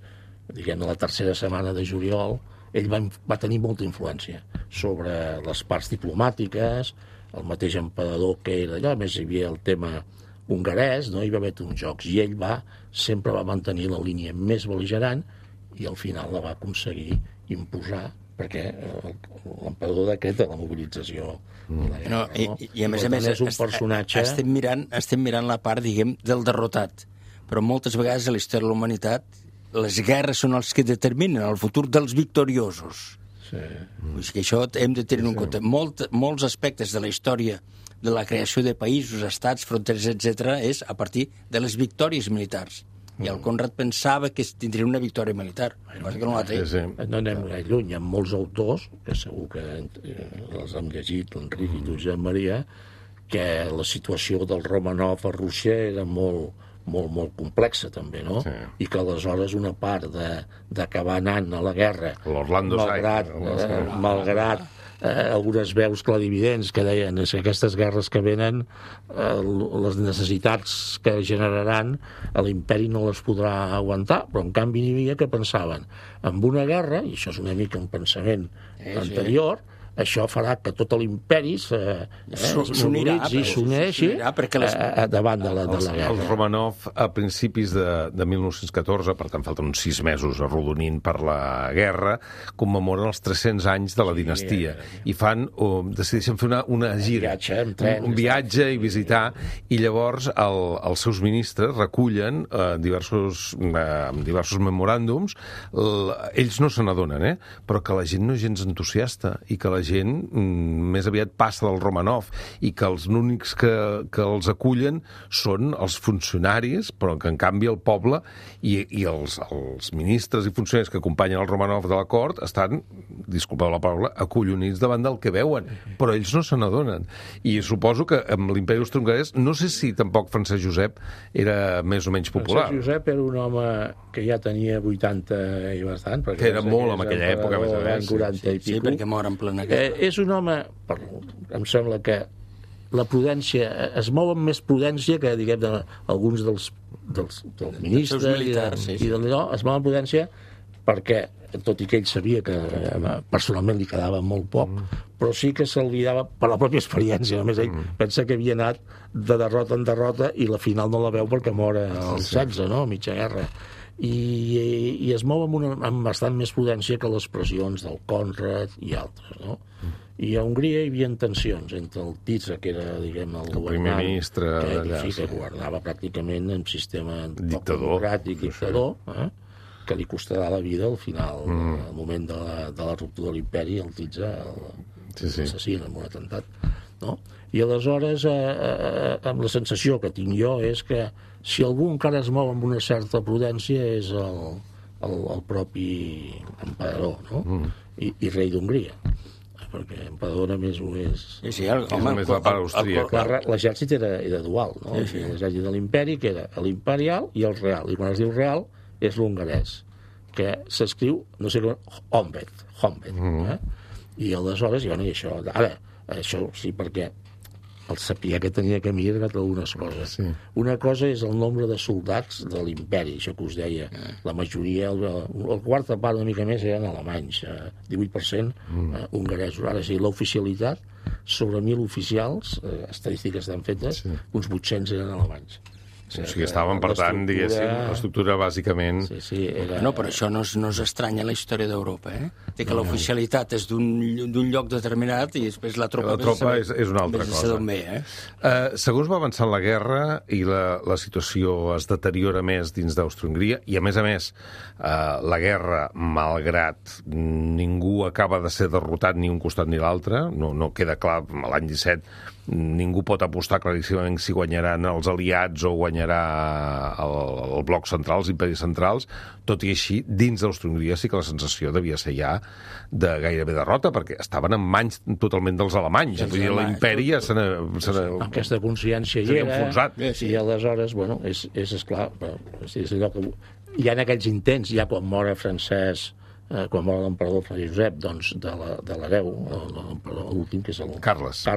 [SPEAKER 4] diguem, la tercera setmana de juliol. Ell va tenir molta influència sobre les parts diplomàtiques, el mateix emperador que era allò, a més hi havia el tema hongarès, no? Hi va haver uns jocs, i ell sempre va mantenir la línia més bel·ligerant i al final la va aconseguir imposar, perquè l'emperador decreta la mobilització.
[SPEAKER 3] I a més,
[SPEAKER 4] és un personatge...
[SPEAKER 3] Estem mirant la part, diguem, del derrotat. Però moltes vegades a la història de la humanitat les guerres són els que determinen el futur dels victoriosos.
[SPEAKER 4] Sí.
[SPEAKER 3] Que això hem de tenir en compte. Molts aspectes de la història de la creació de països, estats, fronteres, etc., és a partir de les victòries militars. I el Conrad pensava que tindria una victòria militar, cosa que no la té.
[SPEAKER 4] No anem gaire lluny, hi ha molts autors, que segur que els hem llegit, l'Enric i tu, Josep Maria, que la situació del Romanov a Rússia era molt, molt complexa, també, no? Sí. I que aleshores una part d'acabar anant a la guerra, malgrat algunes veus clarividents que deien que aquestes guerres que venen, les necessitats que generaran, l'imperi no les podrà aguantar, però en canvi n'hi havia que pensaven amb una guerra, i això és una mica un pensament anterior, això farà que tot l'imperi s'unirà i s'uneixi davant de la guerra.
[SPEAKER 2] Els Romanov, a principis de 1914, per tant falten uns 6 mesos arrodonint per la guerra, commemoren els 300 anys de la dinastia i decideixen fer una gira, un viatge i visitar, i llavors els seus ministres recullen diversos memoràndums. Ells no se n'adonen, però que la gent no és gens entusiasta i que la gent més aviat passa del Romanov i que els únics que els acullen són els funcionaris, però que en canvi el poble i els ministres i funcionaris que acompanyen el Romanov de la cort estan, disculpeu la paraula, acollonits davant del que veuen, però ells no se n'adonen. I suposo que amb l'imperi austro-hongarès, no sé si tampoc Francesc Josep era més o menys popular.
[SPEAKER 4] Francesc Josep era un home que ja tenia 80 i bastant,
[SPEAKER 2] que era molt en aquella època, més o menys.
[SPEAKER 3] 40 i pico. Sí, perquè mor en plena guerra.
[SPEAKER 4] És un home, em sembla que la prudència, es mou amb més prudència que, diguem, alguns dels ministres militars, i d'allò, es mou amb prudència perquè, tot i que ell sabia que personalment li quedava molt poc, però sí que se'l guiava per la pròpia experiència. Només ell pensa que havia anat de derrota en derrota i la final no la veu perquè mor als 16, no?, a mitja guerra. I es mou amb bastant més prudència que les pressions del Conrad i altres, no? I a Hongria hi havia tensions entre el Tisza, que era, diguem, el
[SPEAKER 2] primer ministre
[SPEAKER 4] que governava pràcticament en sistema democràtic, dictador, que li costarà la vida al final, al moment de la ruptura de l'imperi, el Tisza l'assassina en un atemptat, no? I aleshores, amb la sensació que tinc jo és que si algú encara es mou amb una certa prudència és el propi emperador, no? I rei d'Hongria, perquè emperador només ho és...
[SPEAKER 2] Només la part austríaca.
[SPEAKER 4] L'exèrcit era dual, no? L'exèrcit de l'imperi, que era l'imperial i el real, i quan es diu real és l'hongarès, que s'escriu, no sé com, Honved. I aleshores, i això, ara, això sí, perquè el sapiar que tenia que mirar algunes coses. Una cosa és el nombre de soldats de l'imperi, això que us deia. La majoria, el quarta part una mica més eren alemanys, 18% hongaresos. Ara sí, l'oficialitat, sobre 1.000 oficials, estadístiques estan fetes, uns 800 eren alemanys.
[SPEAKER 2] O sigui, estaven, per tant, diguéssim, l'estructura bàsicament...
[SPEAKER 3] No, però això no és estrany a la història d'Europa, Té que l'oficialitat és d'un lloc determinat i després la tropa
[SPEAKER 2] és una altra cosa. Segons va avançant la guerra i la situació es deteriora més dins d'Àustria-Hongria, i a més, la guerra, malgrat ningú acaba de ser derrotat ni un costat ni l'altre, no queda clar, l'any 17 ningú pot apostar claríssimament si guanyaran els aliats o guanyarà el bloc central, els imperis centrals. Tot i així, dins d'Àustria-Hongria sí que la sensació devia ser ja de gairebé derrota, perquè estaven en mans totalment dels alemanys. Vull dir, l'imperi ja se n'ha...
[SPEAKER 4] Aquesta consciència hi era, i aleshores, bueno, és esclar, és allò que... Hi ha aquells intents, ja quan mor Francesc, quan mor l'emperador Francesc Josep, doncs, de l'hereu, l'emperador últim, que és el Carles,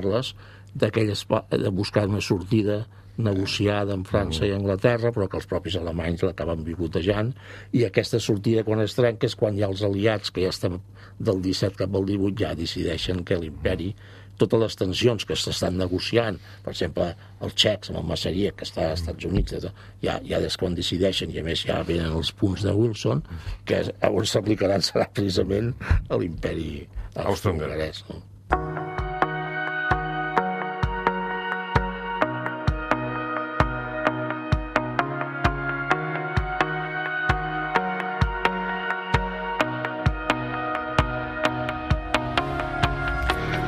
[SPEAKER 4] de buscar una sortida negociada amb França i Anglaterra, però que els propis alemanys l'acaben bicotejant, i aquesta sortida, quan es trenca, és quan hi ha els aliats, que ja estem del 17 cap al 18, ja decideixen que l'imperi, totes les tensions que s'estan negociant, per exemple, els txecs amb el Massaria, que està als Estats Units, ja des quan decideixen, i a més ja venen els punts de Wilson, que on s'aplicaran serà precisament a l'imperi austro-hongarès, no?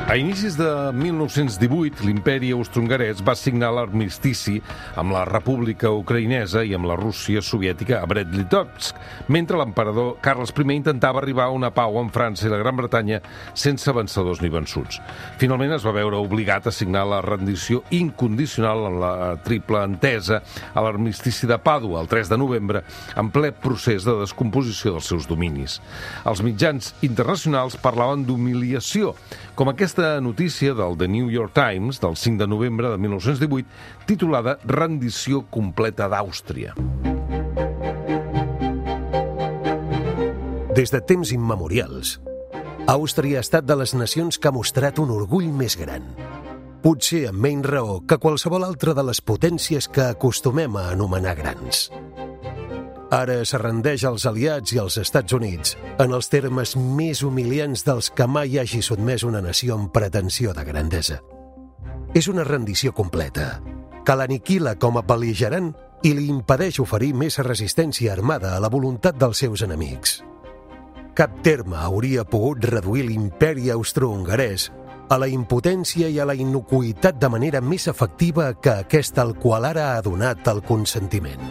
[SPEAKER 2] A inicis de 1918, l'imperi austro-hongarès va signar l'armistici amb la República Ucraïnesa i amb la Rússia soviètica a Brest-Litovsk, mentre l'emperador Carles I intentava arribar a una pau amb França i la Gran Bretanya sense vencedors ni vençuts. Finalment es va veure obligat a signar la rendició incondicional en la triple entesa a l'armistici de Pàdua el 3 de novembre, en ple procés de descomposició dels seus dominis. Els mitjans internacionals parlaven d'humiliació, com aquesta notícia del The New York Times del 5 de novembre de 1918, titulada Rendició completa d'Àustria.
[SPEAKER 9] Des de temps immemorials, Àustria ha estat de les nacions que ha mostrat un orgull més gran. Potser amb menys raó que qualsevol altra de les potències que acostumem a anomenar grans. Ara es rendeix als aliats i als Estats Units en els termes més humiliants dels que mai hagi sotmès una nació amb pretensió de grandesa. És una rendició completa, que l'aniquila com a bel·ligerant i li impedeix oferir més resistència armada a la voluntat dels seus enemics. Cap terme hauria pogut reduir l'imperi austro-hongarès a la impotència i a la innocuïtat de manera més efectiva que aquesta al qual ara ha donat el consentiment.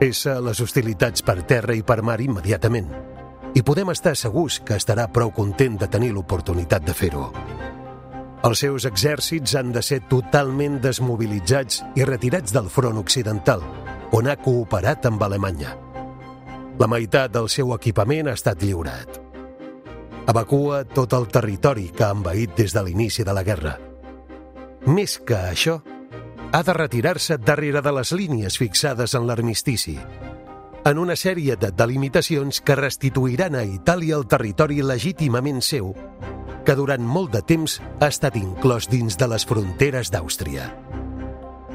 [SPEAKER 9] Cessa les hostilitats per terra i per mar immediatament, i podem estar segurs que estarà prou content de tenir l'oportunitat de fer-ho. Els seus exèrcits han de ser totalment desmobilitzats i retirats del front occidental, on ha cooperat amb Alemanya. La meitat del seu equipament ha estat lliurat. Evacua tot el territori que ha envaït des de l'inici de la guerra. Més que això, ha de retirar-se darrere de les línies fixades en l'armistici, en una sèrie de delimitacions que restituiran a Itàlia el territori legítimament seu, que durant molt de temps ha estat inclòs dins de les fronteres d'Àustria.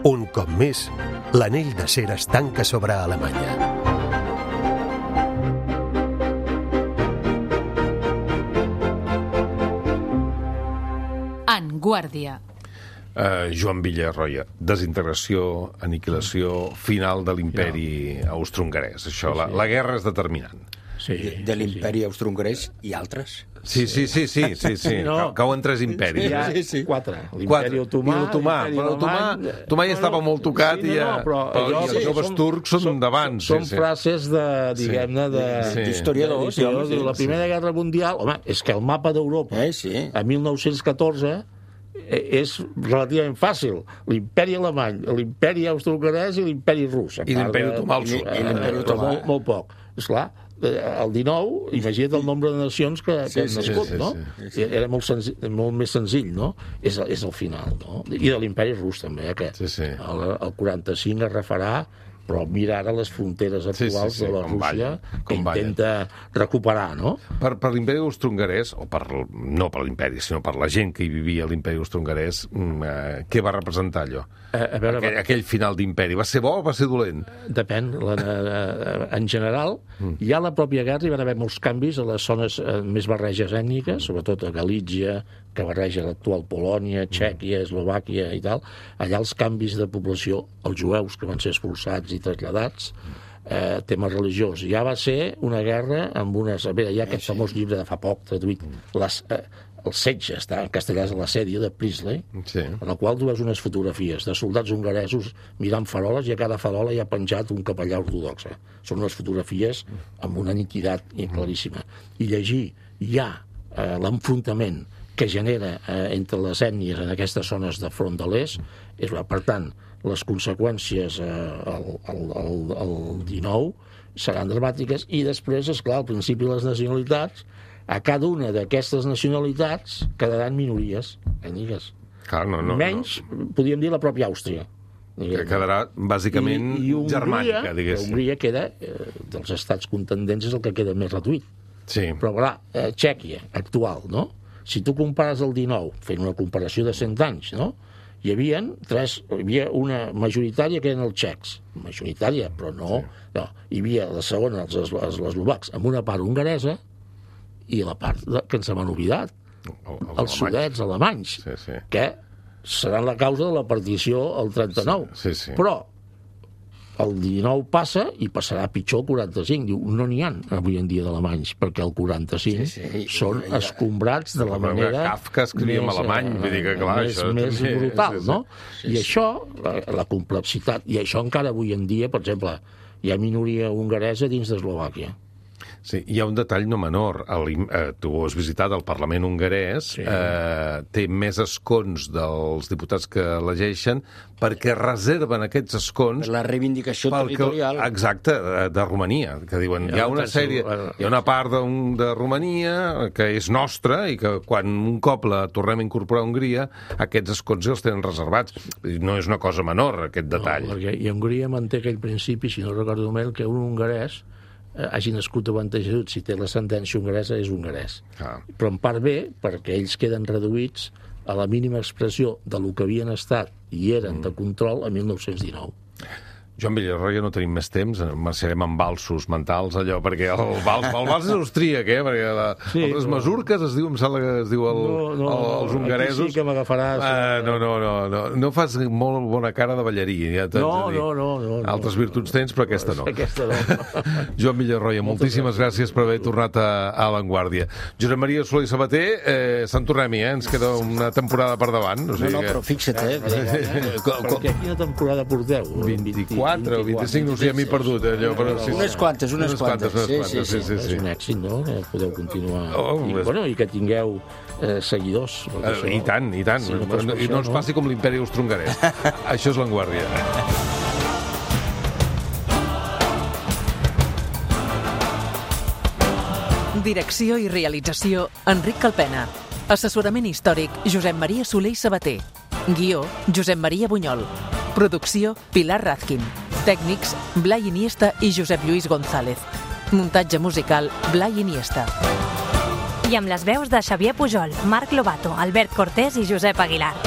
[SPEAKER 9] Un cop més, l'anell d'acer es tanca sobre Alemanya.
[SPEAKER 8] En Guàrdia.
[SPEAKER 2] Joan Villarroya, desintegració, aniquilació final de l'imperi austro-hongarès. Això, la guerra és determinant.
[SPEAKER 3] Sí, de l'imperi austro-hongarès i altres.
[SPEAKER 2] Sí. No. Cauen tres imperis.
[SPEAKER 4] Hi ha quatre. L'imperi otomà.
[SPEAKER 2] L'otomà ja estava molt tocat i els joves turcs són d'abans.
[SPEAKER 4] Són frases diguem-ne, d'historiadors. La Primera Guerra Mundial, home, és que el mapa d'Europa, a 1914, és relativament fàcil. L'imperi alemany, l'imperi austro-hongarès i l'imperi rus.
[SPEAKER 2] I l'imperi otomà al sud.
[SPEAKER 4] Molt poc. Esclar, el 19, imagina't el nombre de nacions que han nascut, no? Era molt més senzill, no? És el final, no? I de l'imperi rus, també, que el 45 es refarà, però mira ara les fronteres actuals de la Rússia que intenta recuperar, no?
[SPEAKER 2] Per l'imperi austro-hongarès, no per l'imperi, sinó per la gent que hi vivia a l'imperi austro-hongarès, què va representar allò? Aquell final d'imperi. Va ser bo o va ser dolent?
[SPEAKER 4] Depèn. En general, ja a la pròpia guerra hi va haver molts canvis a les zones més barreges ètniques, sobretot a Galítsia, que barreja l'actual Polònia, Txèquia, Eslovàquia i tal. Allà els canvis de població, els jueus que van ser expulsats i traslladats, tema religiós. Ja va ser una guerra amb unes... A veure, hi ha aquest famós llibre de fa poc, traduït, el setge, està en castellà, l'assedio de Priestley, en el qual tu veus unes fotografies de soldats hongaresos mirant faroles i a cada farola hi ha penjat un capellà ortodox. Són unes fotografies amb una nitidat claríssima. I llegir ja l'enfrontament que genera entre les ètnies en aquestes zones de front de l'est, per tant, les conseqüències al 19 seran dramàtiques i després, esclar, al principi les nacionalitats, a cada una d'aquestes nacionalitats quedaran minories ètniques. Menys, podríem dir, la pròpia Àustria.
[SPEAKER 2] Que quedarà bàsicament germànica, diguéssim.
[SPEAKER 4] Hongria queda, dels estats contendents, és el que queda més reduït. Però, clar, Txèquia, actual, no? Si tu compares el 19, fent una comparació de 100 anys, no? Hi havia una majoritària que eren els txecs. Majoritària, però no. Hi havia la segona, els eslovacs, amb una part hongaresa i la part que ens hem oblidat, els sudets alemanys, que seran la causa de la partició al 39. Però el 19 passa i passarà pitjor el 45. Diu, no n'hi ha avui en dia d'alemanys, perquè el 45 són escombrats de la manera
[SPEAKER 2] Kafka escrivia en alemany, vull dir que clar,
[SPEAKER 4] més brutal, no? I això, la complexitat, i això encara avui en dia, per exemple, hi ha minoria hongaresa dins d'Eslovàquia.
[SPEAKER 2] Sí, hi ha un detall no menor. Tu has visitat el Parlament hongarès, té més escons dels diputats que elegeixen perquè reserven aquests escons...
[SPEAKER 3] La reivindicació territorial.
[SPEAKER 2] Exacte, de Romania, que diuen hi ha una sèrie, hi ha una part de Romania que és nostra i que quan un cop la tornem a incorporar a Hongria, aquests escons els tenen reservats. No és una cosa menor, aquest detall.
[SPEAKER 4] I Hongria manté aquell principi, si no recordo mal, que un hongarès hagi nascut abans de Jesús, si té l'ascendència hongaresa, és hongarès. Però en part bé, perquè ells queden reduïts a la mínima expressió de lo que havien estat i eren de control a 1919.
[SPEAKER 2] Joan Villarroya, no tenim més temps, marxarem amb valsos mentals, allò, perquè el vals és austríac, perquè les masurques es diu, em sembla que es diu els hongaresos.
[SPEAKER 4] Aquí sí que m'agafaràs.
[SPEAKER 2] No fas molt bona cara de ballarí.
[SPEAKER 4] No.
[SPEAKER 2] Altres virtuts tens, però aquesta no.
[SPEAKER 4] Aquesta no.
[SPEAKER 2] Joan Villarroya, moltíssimes gràcies per haver tornat a L'Avantguàrdia. Josep Maria Soler i Sabater, Sant Tornem-hi, ens queda una temporada per davant.
[SPEAKER 3] No, però fixa't,
[SPEAKER 4] Perquè quina temporada porteu?
[SPEAKER 2] 24 o 25, no sé, m'he perdut.
[SPEAKER 3] Unes quantes.
[SPEAKER 2] Sí.
[SPEAKER 4] És un èxit, no? Podeu continuar. I que tingueu seguidors.
[SPEAKER 2] I tant. I no ens passi com l'imperi austro-hongarès. Això és L'Avantguàrdia.
[SPEAKER 10] Direcció i realització, Enric Calpena. Assessorament històric, Josep Maria Soler i Sabater. Guió, Josep Maria Bunyol. Producció, Pilar Razkin. Tècnics, Blai Iniesta i Josep Lluís González. Muntatge musical, Blai Iniesta.
[SPEAKER 11] I amb les veus de Xavier Pujol, Marc Lobato, Albert Cortés i Josep Aguilar.